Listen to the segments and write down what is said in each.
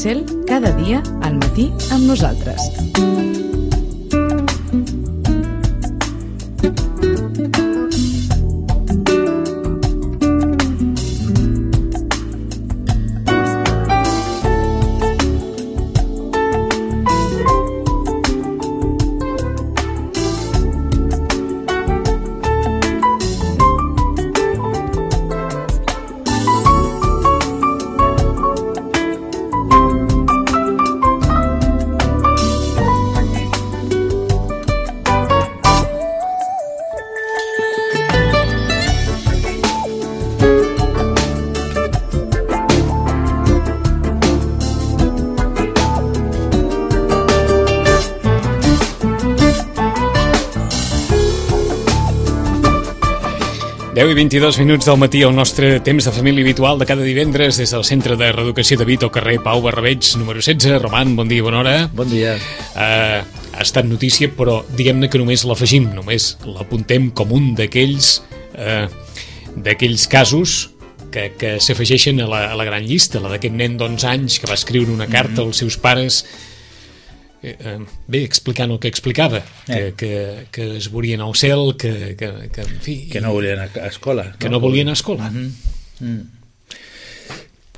Cel, cada dia al matí amb nosaltres. I 22 minuts del matí, el nostre temps de família habitual de cada divendres des del Centre de Reeducació de Vic, al carrer Pau Barrabeig, número 16. Roman, bon dia, bona hora. Bon dia. Ha estat notícia, però diguem-ne que només l'afegim, només l'apuntem com un d'aquells casos que s'afegeixen a la gran llista, la d'aquest nen d'11 anys que va escriure una carta als seus pares explicant el que explicava, que es veurien al cel, en fi, que no volien anar a escola, que no volien anar a escola.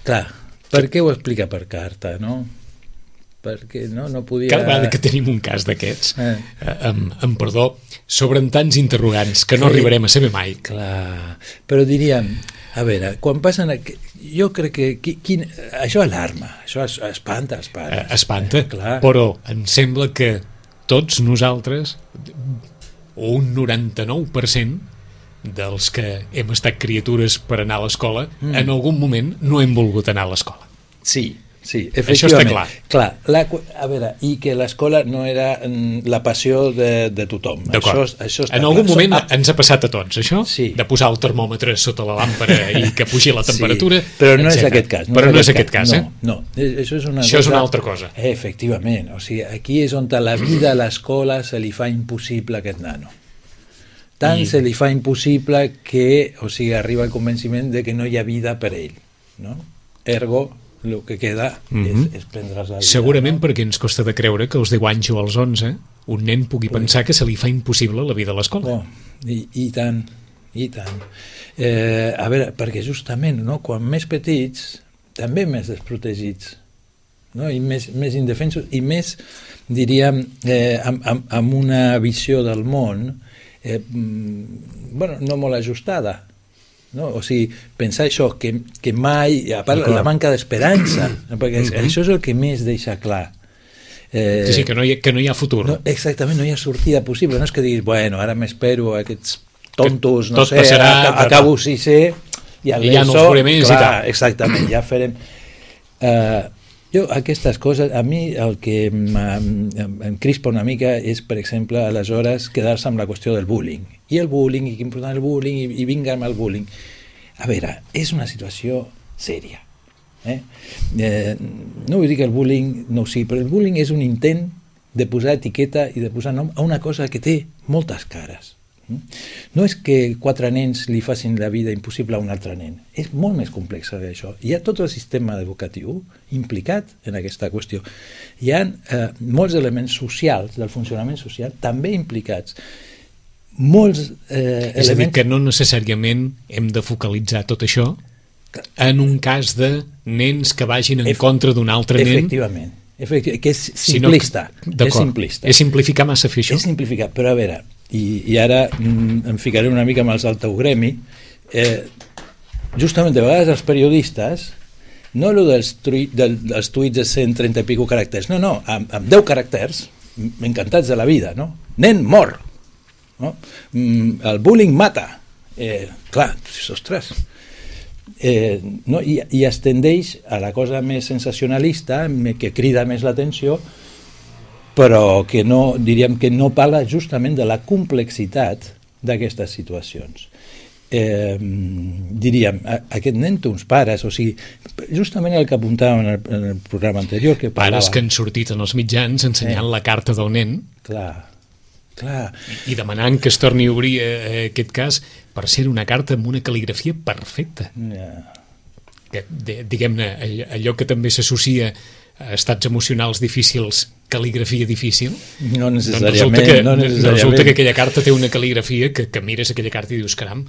Clar, per què ho explica per carta, no? Perquè no podia... Cada vegada que tenim un cas d'aquests, amb perdó, s'obren tants interrogants que no arribarem a saber mai. Clar, però diríem, a veure, quan passen... Jo crec que això alarma, això espanta els pares. Espanta, però em sembla que tots nosaltres, un 99% dels que hem estat criatures per anar a l'escola, en algun moment no hem volgut anar a l'escola. Sí, efectivament. Això està clar. A veure, i que l'escola no era la passió de tothom. D'acord. Això en algun moment ens ha passat a tots, això? Sí. De posar el termòmetre sota la làmpara i que pugi la temperatura. Sí, però no és aquest cas. Però no és aquest cas, No, això és una altra cosa. Efectivament. O sigui, aquí és on la vida a l'escola se li fa impossible a aquest nano. Tant se li fa impossible que, o sigui, arriba al convenciment de que no hi ha vida per ell, no? Ergo, el que queda és prendre's la vida. Segurament perquè ens costa de creure que als 10 anys o als 11 un nen pugui pensar que se li fa impossible la vida a l'escola. I tant. A veure, perquè justament, no, quan més petits, també més desprotegits, no? I més indefensos, i més, diríem, amb una visió del món no molt ajustada. No? O sigui, pensar això, que mai, a part la manca d'esperança, perquè això és el que més deixa clar. Sí, que no hi ha futur. No, exactament, no hi ha sortida possible. No és que diguis, bueno, ara m'espero aquests tontos, no sé, acabo sisè i ja no els veuré més i tal. Exactament, ja farem... Jo, aquestes coses, a mi el que em crispa una mica és, per exemple, aleshores quedar-se amb la qüestió del bullying. I el bullying, i que important el bullying, i vinga amb el bullying. A veure, és una situació sèria. No vull dir que el bullying no ho sigui, però el bullying és un intent de posar etiqueta i de posar nom a una cosa que té moltes cares. No és que 4 nens li facin la vida impossible a un altre nen, és molt més complex que això. Hi ha tot el sistema educatiu implicat en aquesta qüestió. Hi ha molts elements socials, del funcionament social, també implicats. Molts elements... És a dir, que no necessàriament hem de focalitzar tot això en un cas de nens que vagin en contra d'un altre nen. Efectivament, que és simplista. És simplificar massa fer això? És simplificar, però a veure... I ara em ficaré una mica amb els del teu gremi, justament de vegades els periodistes, no el dels tuits de 130 i pico caràcters, no, amb 10 caràcters, encantats de la vida, no? Nen mor, no? El bullying mata, clar, ostres, no? I es tendeix a la cosa més sensacionalista, que crida més l'atenció, però que no, diríem que no parla justament de la complexitat d'aquestes situacions. Diríem, aquest nen té uns pares, o sigui, justament el que apuntàvem en el programa anterior, que parlava... Pares que han sortit en els mitjans ensenyant la carta del nen. Clar. I demanant que es torni a obrir aquest cas per ser una carta amb una cal·ligrafia perfecta. Diguem-ne, allò que també s'associa estats emocionals difícils, cal·ligrafia difícil? No Doncs necessàriament. resulta que aquella carta té una cal·ligrafia que mires aquella carta i dius, caram,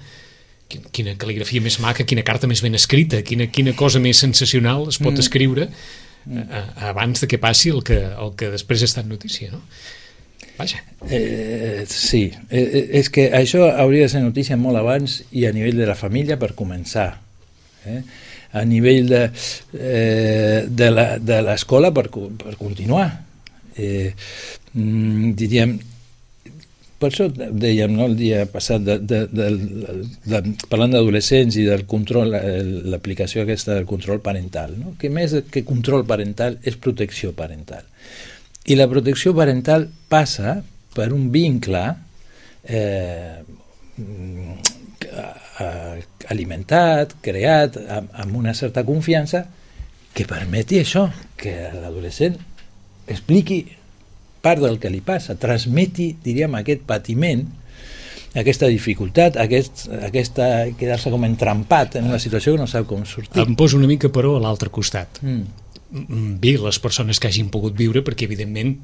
quina cal·ligrafia més maca, quina carta més ben escrita, quina cosa més sensacional es pot escriure abans de que passi el que després ha estat notícia, no? Vaja. Sí, és que això hauria de ser notícia molt abans i a nivell de la família per començar, a nivell de l'escola per continuar. Diríem, per això dèiem, no, el dia passat parlant d'adolescents i del control, l'aplicació aquesta del control parental, no? Que més que control parental és protecció parental, i la protecció parental passa per un vincle alimentat, creat amb una certa confiança que permeti això, que l'adolescent expliqui part del que li passa, transmeti, diríem, aquest patiment, aquesta dificultat, quedar-se com entrampat en una situació que no sap com sortir. Em poso una mica, però, a l'altre costat. Bé, les persones que hagin pogut viure, perquè, evidentment,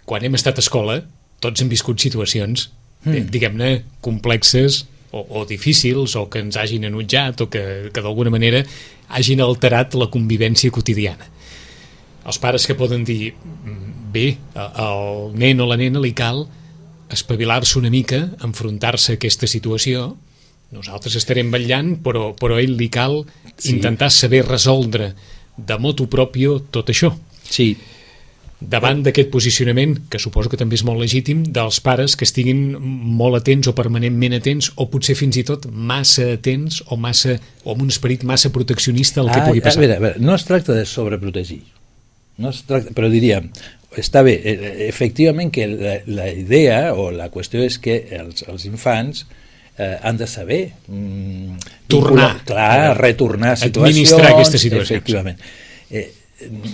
quan hem estat a escola, tots hem viscut situacions, diguem-ne, complexes o difícils, o que ens hagin enutjat, o que d'alguna manera hagin alterat la convivència quotidiana. Els pares que poden dir, bé, al nen o la nena li cal espavilar-se una mica, enfrontar-se a aquesta situació, nosaltres estarem vetllant, però a ell li cal intentar saber resoldre de motu propio tot això. Sí. Davant d'aquest posicionament, que suposo que també és molt legítim, dels pares que estiguin molt atents o permanentment atents, o potser fins i tot massa atents o amb un esperit massa proteccionista al que pugui passar. A veure, no es tracta de sobreprotegir, no es tracta, però diríem, està bé, efectivament que la idea o la qüestió és que els infants han de saber retornar a situacions, administrar aquestes situacions. Efectivament.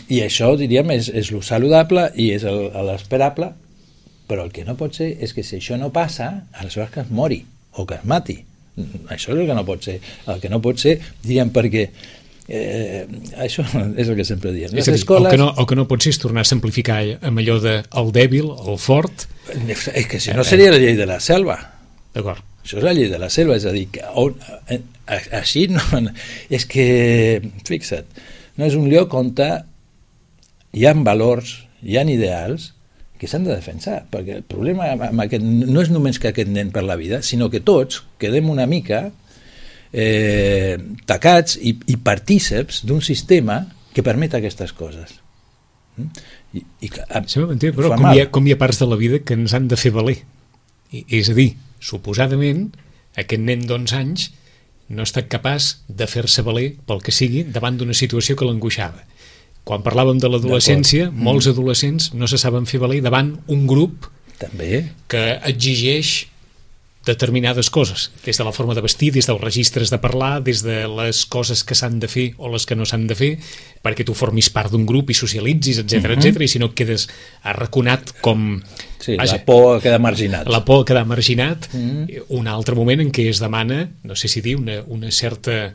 I això, diríem, és el saludable i és l'esperable, però el que no pot ser és que si això no passa, aleshores que es mori o que es mati. Això és el que no pot ser. El que no pot ser, diríem, perquè això és el que sempre diem. És a dir, el que no pot ser és tornar a simplificar amb allò de el dèbil, el fort. És que si no seria la llei de la selva. D'acord. Això és la llei de la selva, és a dir, així no... És que, fixa't, no és un lloc on hi ha valors, hi ha ideals que s'han de defensar, perquè el problema amb aquest, no és només que aquest nen per la vida, sinó que tots quedem una mica tacats i partíceps d'un sistema que permet aquestes coses. Però com hi ha parts de la vida que ens han de fer valer. És a dir, suposadament, aquest nen d'11 anys no ha estat capaç de fer-se valer pel que sigui davant d'una situació que l'angoixava. Quan parlàvem de l'adolescència, molts adolescents no se saben fer valer davant un grup també que exigeix determinades coses, des de la forma de vestir, des dels registres de parlar, des de les coses que s'han de fer o les que no s'han de fer, perquè tu formis part d'un grup i socialitzis, etc etc, i si no et quedes arraconat com... Sí, la por a quedar marginat. La por a quedar marginat. Un altre moment en què es demana, no sé si dir, una certa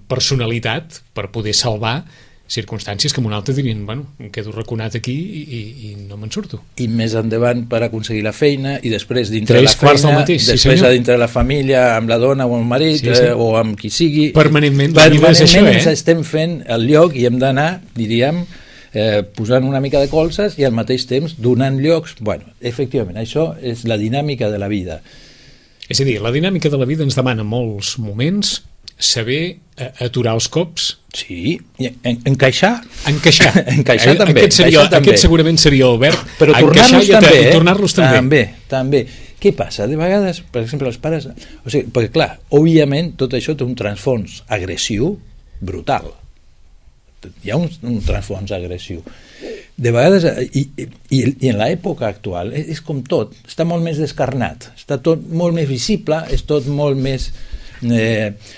personalitat per poder salvar circumstàncies que en un altre dirien, bueno, em quedo raconat aquí i no me'n surto. I més endavant per aconseguir la feina, i després dintre la feina, després dintre la família, amb la dona o el marit, o amb qui sigui. Permanentment ens estem fent el lloc i hem d'anar, diríem, posant una mica de colzes i al mateix temps donant llocs. Bueno, efectivament, això és la dinàmica de la vida. És a dir, la dinàmica de la vida ens demana molts moments saber aturar els cops. Sí, i encaixar. Encaixar també. Aquest segurament seria el verb. Però tornar-los també. I tornar-los també. També. Què passa? De vegades, per exemple, els pares... O sigui, perquè clar, òbviament tot això té un transfons agressiu brutal. Hi ha un transfons agressiu. De vegades, i en l'època actual, és com tot, està molt més descarnat, està tot molt més visible, és tot molt més...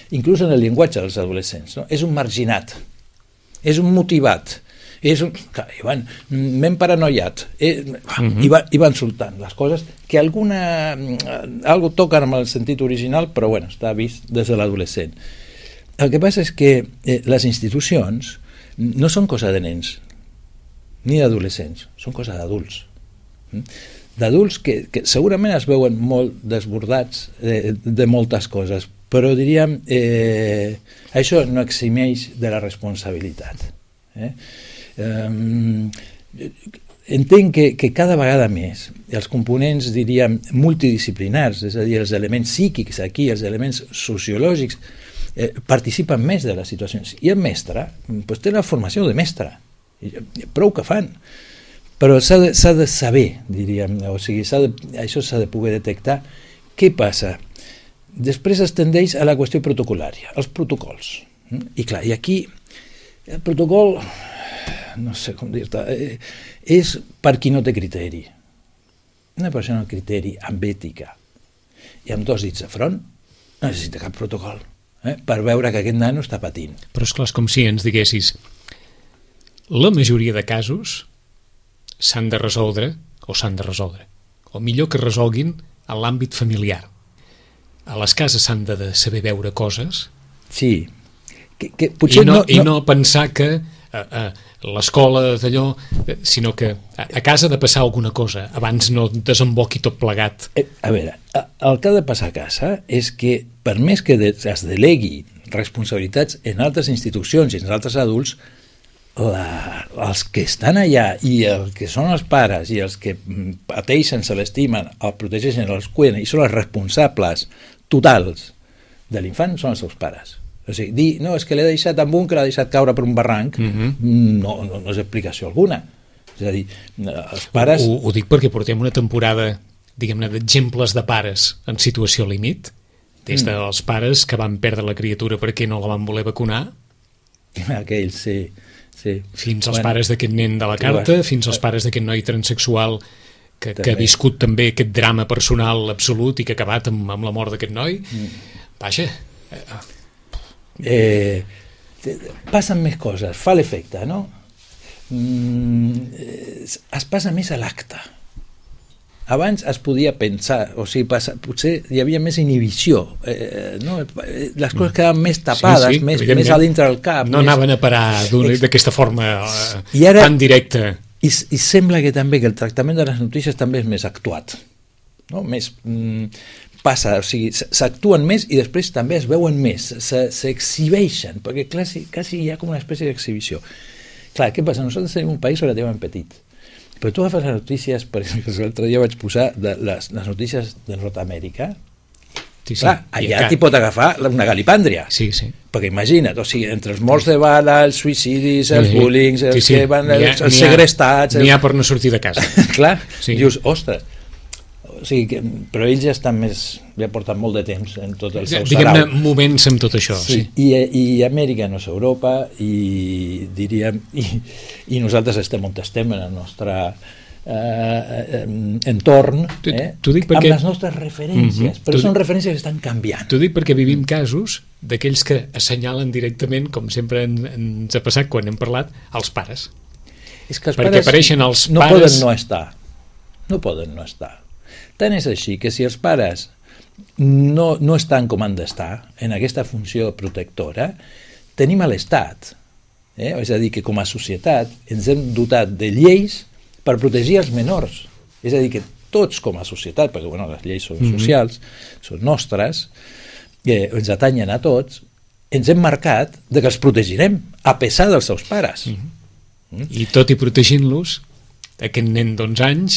inclús en el llenguatge dels adolescents, no? És un marginat, és un motivat, m'hem paranoiat, i van soltant les coses que algo toquen amb el sentit original, però bueno, està vist des de l'adolescent. El que passa és que les institucions no són cosa de nens ni d'adolescents, són cosa d'adults. D'adults que segurament es veuen molt desbordats de moltes coses, però diríem això no eximeix de la responsabilitat. Entenc que cada vegada més els components, diríem, multidisciplinars, és a dir, els elements psíquics aquí, els elements sociològics, participen més de les situacions. I el mestre té la formació de mestre, prou que fan, però s'ha de saber, diríem, o sigui, això s'ha de poder detectar. Què passa? Després es tendeix a la qüestió protocolària, els protocols. I clar, i aquí el protocol, no sé com dir-te, és per qui no té criteri. Una persona amb criteri, amb ètica i amb 2 dits de front no necessita cap protocol per veure que aquest nano està patint. Però és clar, és com si ens diguessis la majoria de casos s'han de resoldre, o millor que resolguin en l'àmbit familiar. A les cases s'han de saber veure coses. Sí. Potser I no pensar que l'escola d'allò, sinó que a casa ha de passar alguna cosa abans no desemboqui tot plegat. A veure, el que ha de passar a casa és que per més que es delegui responsabilitats en altres institucions i en altres adults, els que estan allà i els que són els pares i els que pateixen, se l'estimen, el protegeixen, els cuiden i són els responsables totals de l'infant són els seus pares. O sigui, dir, no, és que l'he deixat amb un que l'ha deixat caure per un barranc, no és explicació alguna. És a dir, els pares... Ho dic perquè portem una temporada, diguem-ne, d'exemples de pares en situació límit, des dels pares que van perdre la criatura perquè no la van voler vacunar, aquells, sí. Fins als pares d'aquest nen de la carta, fins als pares d'aquest noi transsexual que ha viscut també aquest drama personal absolut i que ha acabat amb la mort d'aquest noi. Vaja... passen més coses, fa l'efecte, no? Es passa més a l'acte. Abans es podia pensar, o sigui, potser hi havia més inhibició, no? Les coses quedaven més tapades, més a dintre del cap. No anaven a parar d'aquesta forma tan directa. I sembla que també que el tractament de les notícies també és més actuat, no? Més passa, o sigui, s'actuen més i després també es veuen més, s'exhibeixen, perquè quasi hi ha com una espècie d'exhibició. Clar, què passa? Nosaltres tenim un país relativament petit, però tu agafes les notícies, per exemple, l'altre dia vaig posar les notícies de Nord-Amèrica. Clar, allà t'hi pot agafar una galipàndria. Sí. Perquè imagina't, o sigui, entre els morts de bala, els suïcidis, els bullings, els que van, els segrestats... N'hi ha per no sortir de casa. Clar, dius, ostres... O sigui, però ells ja estan més... ja porten molt de temps en tot el seu sarau. Diguem-ne, movent-se amb tot això. Sí. I Amèrica no és Europa, i diríem... I nosaltres estem on estem en el nostre entorn, amb les nostres referències, però són referències que estan canviant. T'ho dic perquè vivim casos d'aquells que assenyalen directament, com sempre ens ha passat quan hem parlat, els pares. És que els perquè apareixen els no pares... No poden no estar. Tant és així que si els pares no estan com han d'estar en aquesta funció protectora, tenim a l'Estat. És a dir, que com a societat ens hem dotat de lleis per protegir els menors. És a dir, que tots com a societat, perquè les lleis són socials, són nostres, ens atanyen a tots, ens hem marcat que els protegirem a pesar dels seus pares. I tot i protegint-los, aquest nen d'11 anys,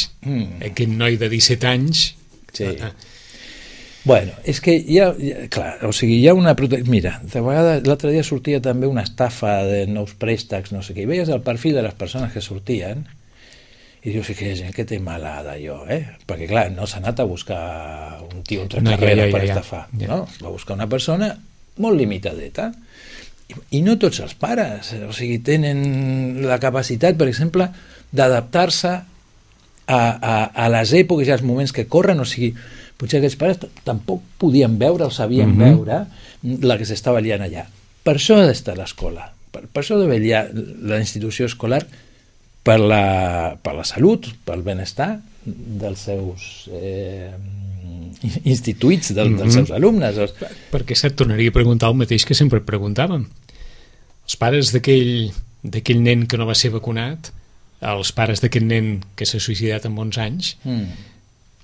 aquest noi de 17 anys... Sí. Bueno, és que clar, o sigui, hi ha una... Mira, de vegades, l'altre dia sortia també una estafa de nous préstecs, no sé què, i veies el perfil de les persones que sortien i dius, que gent que té mala d'allò, perquè clar, no s'ha anat a buscar un tio entre carreres per estafar, no? Va buscar una persona molt limitadeta. I no tots els pares, o sigui, tenen la capacitat, per exemple, d'adaptar-se a les èpoques i als moments que corren, o sigui, potser aquests pares tampoc podien veure o sabien veure la que s'estava liant allà. Per això ha d'estar l'escola, per això ha de vetllar la institució escolar per la salut, pel benestar dels seus instituïts, dels seus alumnes. Perquè se't tornaria a preguntar el mateix que sempre et preguntàvem. Els pares d'aquell d'aquell nen que no va ser vacunat, els pares d'aquest nen que s'ha suïcidat amb 11 anys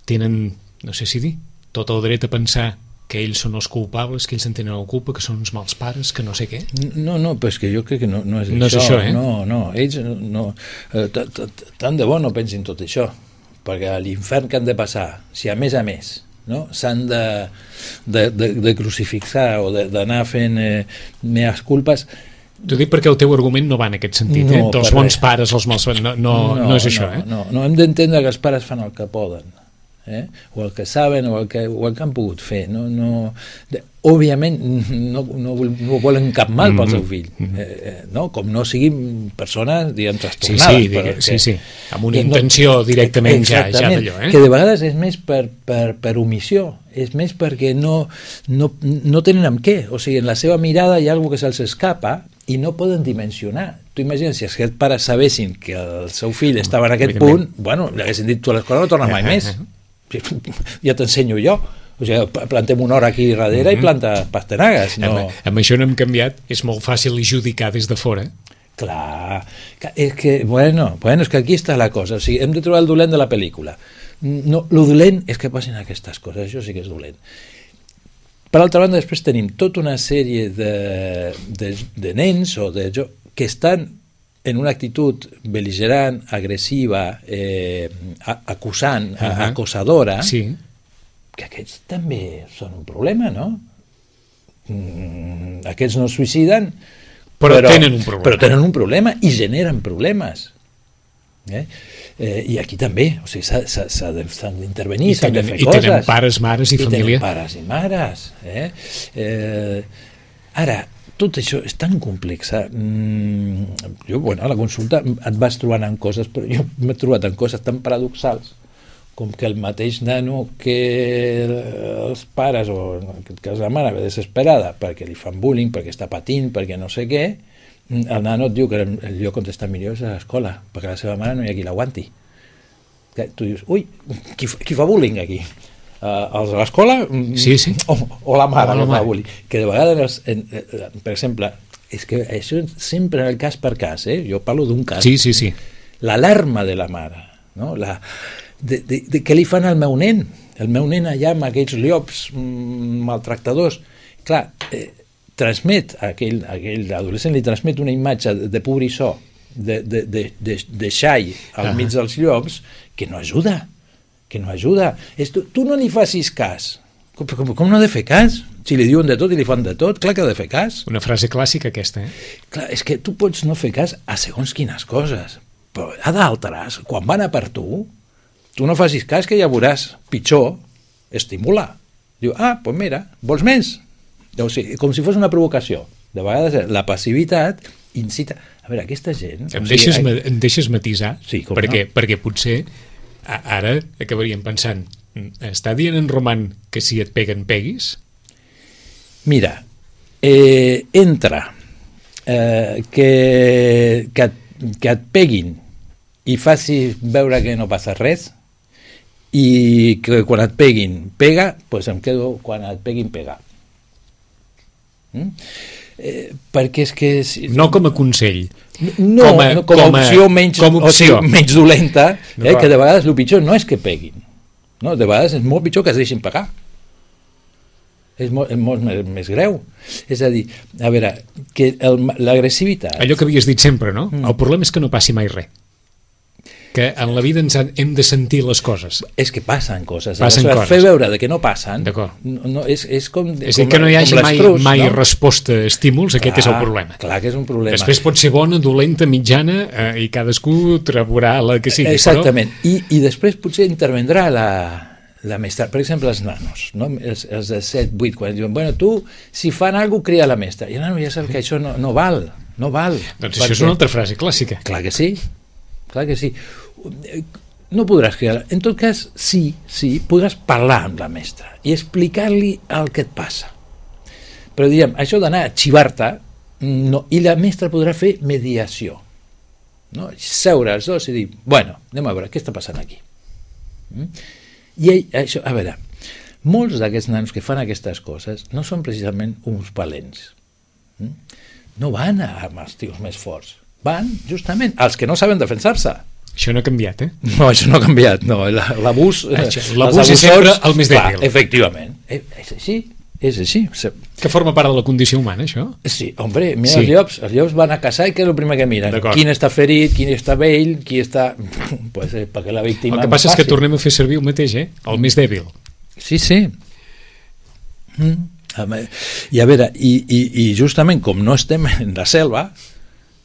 tenen, no sé si dir, tot el dret a pensar que ells són els culpables, que ells en tenen la culpa, que són uns mals pares, que no sé què. No, però és que jo crec que no és no això. És això, No, ells no, tant de bo no pensin tot això, perquè a l'infern que han de passar, si a més, no, s'han de crucifixar o d'anar fent mees culpes. T'ho dic perquè el teu argument no va en aquest sentit, dels bons pares, els mals pares, no és això. No, hem d'entendre que els pares fan el que poden, o el que saben o el que han pogut fer. Òbviament no volen cap mal pel seu fill, no? Com no siguin persones, diguem, trastornades. Sí, amb una intenció directament ja d'allò. Que de vegades és més per omissió, és més perquè no tenen amb què, o sigui, en la seva mirada hi ha alguna que se'ls escapa i no poden dimensionar. Tu imagines, si aquests pares sabessin que el seu fill estava en aquest punt, bueno, li haguessin dit, tu a l'escola no tornes mai més. Ja t'ensenyo jo. O sigui, plantem una hora aquí darrere i planta pastanagues. Amb això no hem canviat, és molt fàcil judicar des de fora. Clar, és que, és que aquí està la cosa. O sigui, hem de trobar el dolent de la pel·lícula. No, lo dolent és que passin aquestes coses, això sí que és dolent. Per altra banda, després tenim tota una sèrie de nens o de que estan en una actitud bel·ligerant, agressiva, acusant, acosadora, que aquests també són un problema, no? Aquests no es suïciden, però tenen un problema i generen problemes. I aquí també, o sigui, s'han d'intervenir, s'han de fer coses. I tenen pares, mares i família. I tenen pares i mares. Ara, tot això és tan complex. Jo, a la consulta et vas trobant en coses, però jo m'he trobat en coses tan paradoxals com que el mateix nano que els pares, o en aquest cas la mare, ve desesperada perquè li fan bullying, perquè està patint, perquè no sé què, el nano et diu que el lloc on està millor és a l'escola, perquè la seva mare no hi ha qui l'aguanti. Tu dius, ui, qui fa bullying aquí? Els a l'escola? Sí. O la mare que fa bullying? Que de vegades, per exemple, és que això sempre en el cas per cas, jo parlo d'un cas. Sí. L'alarma de la mare, no? De què li fan al meu nen? El meu nen allà amb aquells llops maltractadors. Clar, transmet, aquell adolescent li transmet una imatge de pobrissó, de xai al mig dels llops, que no ajuda. Tu no li facis cas. Com no ha de fer cas? Si li diuen de tot i li fan de tot, clar que ha de fer cas. Una frase clàssica aquesta, Clar, és que tu pots no fer cas a segons quines coses, però a d'altres, quan van a per tu no facis cas, que ja veuràs pitjor, estimula. Diu, doncs mira, vols més? O sigui, com si fos una provocació. De vegades la passivitat incita... A veure, aquesta gent... Em deixes matisar? Sí, perquè potser ara acabaríem pensant, està dient en Roman que si et peguen, peguis? Mira, entra que et peguin i faci veure que no passa res, i que quan et peguin pega, doncs em quedo quan et peguin pega. Perquè és que... No com a consell. No, com a opció menys dolenta, que de vegades el pitjor no és que peguin, no? De vegades és molt pitjor que es deixin pegar. És molt més greu. És a dir, a veure, que l'agressivitat... Allò que havies dit sempre, no? El problema és que no passi mai res. Que en la vida hem de sentir les coses. És que passen coses. Fer veure que no passen. D'acord. És com... És dir, que no hi hagi mai resposta a estímuls, aquest és el problema. Clar que és un problema. Després pot ser bona, dolenta, mitjana, i cadascú trobarà la que sigui. Exactament. I després potser intervendrà la mestra. Per exemple, els nanos, no? Els de 7, 8, quan diuen, bueno, tu, si fan alguna cosa, crida la mestra. I el nano ja sap que això no val. Doncs això és una altra frase clàssica. Clar que sí. No podràs cridar. En tot cas, sí, podràs parlar amb la mestra i explicar-li el que et passa. Però diríem, això d'anar a xivar-te, no, i la mestra podrà fer mediació, no? Seure els dos i dir, bueno, anem a veure, què està passant aquí? I això, a veure, molts d'aquests nanos que fan aquestes coses no són precisament uns valents. No van amb els tios més forts. van justament als que no saben defensar-se. Això no ha canviat, No, això no ha canviat, no, l'abús... L'abús és sempre el més dèbil. Clar, efectivament, és així, és així. Que forma part de la condició humana, això? Sí, hombre, mira sí. Els llops van a caçar i què és el primer que miren? Quin està ferit, quin està vell, qui està... Pues, perquè la víctima... El que passa és que tornem a fer servir el mateix, el més dèbil. Sí, sí. I a veure, i justament com no estem en la selva,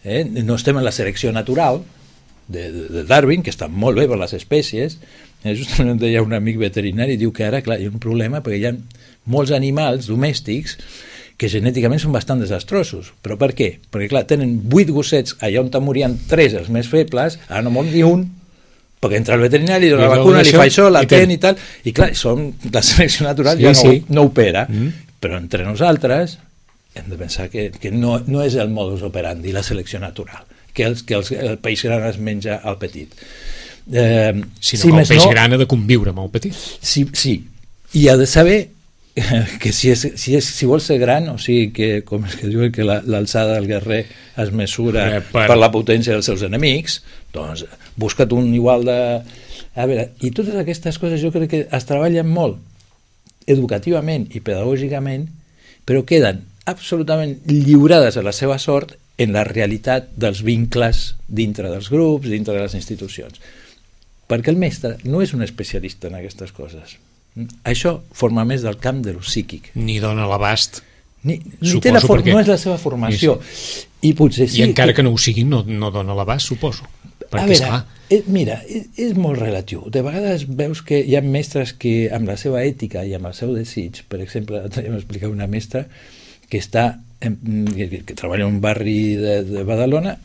no estem en la selecció natural de Darwin, que està molt bé per les espècies, justament deia un amic veterinari, diu que ara, clar, hi ha un problema perquè hi ha molts animals domèstics que genèticament són bastant desastrosos. Però per què? Perquè, clar, tenen 8 gossets allà on morien 3 els més febles, ara no mor ni un, perquè entra el veterinari, li dona la vacuna, li fa això, l'atén i tal, i clar, la selecció natural ja no opera. Però entre nosaltres hem de pensar que no és el modus operandi la selecció natural, que el peix gran es menja al petit. Sinó que el peix gran ha de conviure amb el petit. Sí, i ha de saber que si vol ser gran, o sigui que, com és que diuen que l'alçada del guerrer es mesura per la potència dels seus enemics, doncs busca't un igual de... A veure, i totes aquestes coses jo crec que es treballen molt educativament i pedagògicament, però queden absolutament lliurades a la seva sort en la realitat dels vincles dintre dels grups, dintre de les institucions. Perquè el mestre no és un especialista en aquestes coses. Això forma més del camp de lo psíquic. Ni dona l'abast. Ni té no és la seva formació. I potser sí. I encara que no ho sigui, no dona l'abast, suposo. A veure, mira, és molt relatiu. De vegades veus que hi ha mestres que amb la seva ètica i amb el seu desig, per exemple, m'explicava una mestra que que treballa en un barri de Badalona,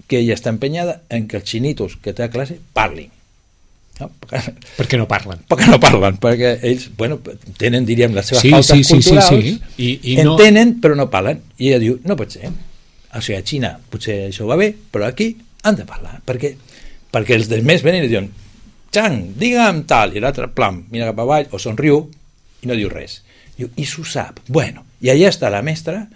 que ella està empenyada en que els xinitos que té a classe parlin. No? Per què no parlen? Perquè no parlen, perquè ells tenen, diríem, les seves pautes culturals, entenen però no parlen, i ella diu, no pot ser, o sigui, a Xina potser això va bé, però aquí han de parlar, perquè els demés venen i diuen, Chang, digue'm tal, i l'altre plam, mira cap avall o somriu i no diu res, i s'ho sap, bueno, i allà està la mestra.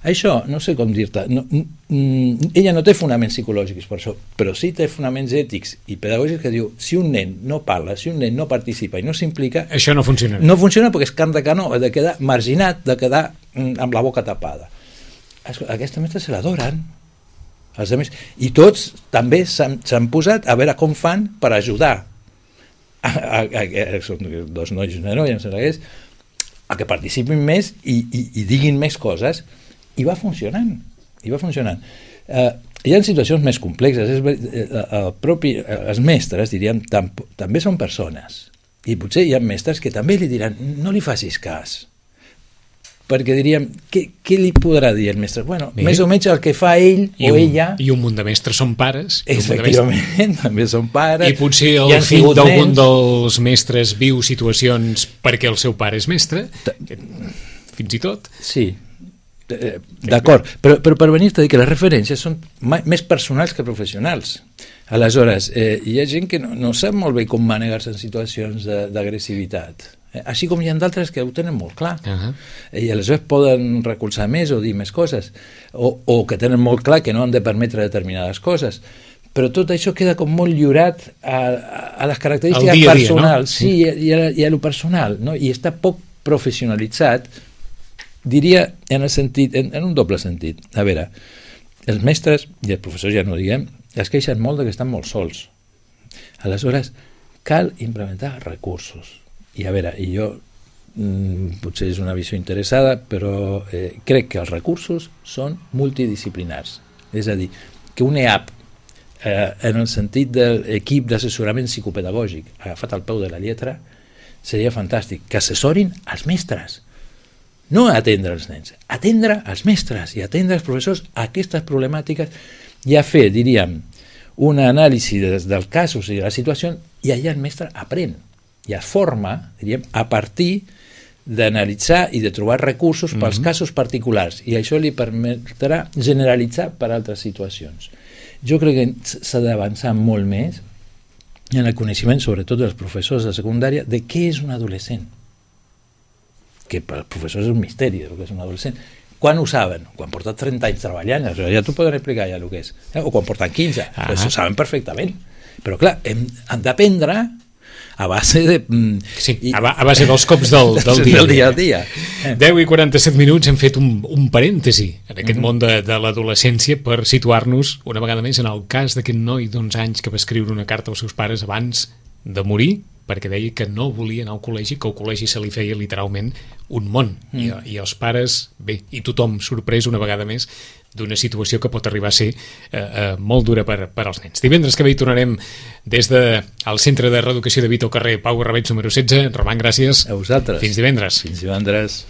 Això, no sé com dir-te, ella no té fonaments psicològics per això, però sí té fonaments ètics i pedagògics que diu, si un nen no parla, si un nen no participa i no s'implica, això no funciona. No funciona perquè és carn de canó, ha de quedar marginat, de quedar amb la boca tapada. Aquesta mestra se l'adoren, els altres, i tots també s'han posat a veure com fan per ajudar són dos nois i una noia, a que participin més i diguin més coses, i va funcionant. Hi ha situacions més complexes. Els mestres, diríem, també són persones, i potser hi ha mestres que també li diran, no li facis cas, perquè diríem, què li podrà dir el mestre? Bueno, més o menys el que fa ell o ella. I un munt de mestres són pares. Efectivament, també són pares. I potser el fill d'algun dels mestres viu situacions perquè el seu pare és mestre, fins i tot. Sí, d'acord, però per venir-te a dir que les referències són més personals que professionals. Aleshores, hi ha gent que no sap molt bé com manegar-se en situacions d'agressivitat, així com hi ha d'altres que ho tenen molt clar, i aleshores poden recolzar més o dir més coses, o que tenen molt clar que no han de permetre determinades coses, però tot això queda com molt lliurat a les característiques personals, no? Sí, i a lo personal, no? I està poc professionalitzat, diria en un doble sentit. A veure, els mestres i els professors, ja no diguem, es queixen molt que estan molt sols. Aleshores, cal implementar recursos. I a veure, jo potser és una visió interessada, però crec que els recursos són multidisciplinars. És a dir, que un EAP, en el sentit de l'equip d'assessorament psicopedagògic agafat al peu de la lletra, seria fantàstic. Que assessorin els mestres. No atendre els nens, atendre els mestres i atendre els professors a aquestes problemàtiques i a fer, diríem, una anàlisi dels casos i de la situació, i allà el mestre aprèn i es forma, diríem, a partir d'analitzar i de trobar recursos pels casos particulars, i això li permetrà generalitzar per altres situacions. Jo crec que s'ha d'avançar molt més en el coneixement, sobretot dels professors de secundària, de què és un adolescent, que per als professors és un misteri el que és un adolescent. Quan ho saben? Quan porten 30 anys treballant, ja t'ho poden explicar ja el que és. O quan porten 15, ho saben perfectament. Però clar, han d'aprendre a base de... Sí, a base dels cops del dia. Del dia. 10 i 47 minuts hem fet un parèntesi en aquest món de l'adolescència per situar-nos una vegada més en el cas d'aquest noi d'11 anys que va escriure una carta als seus pares abans de morir, perquè deia que no volia anar al col·legi, que el col·legi se li feia literalment un món. I els pares, bé, i tothom sorprès una vegada més d'una situació que pot arribar a ser molt dura per als nens. Divendres que ve hi tornarem des del Centre de Reeducació de Vita al carrer Pau Garrabets número 16. Roman, gràcies. A vosaltres. Fins divendres. Fins divendres.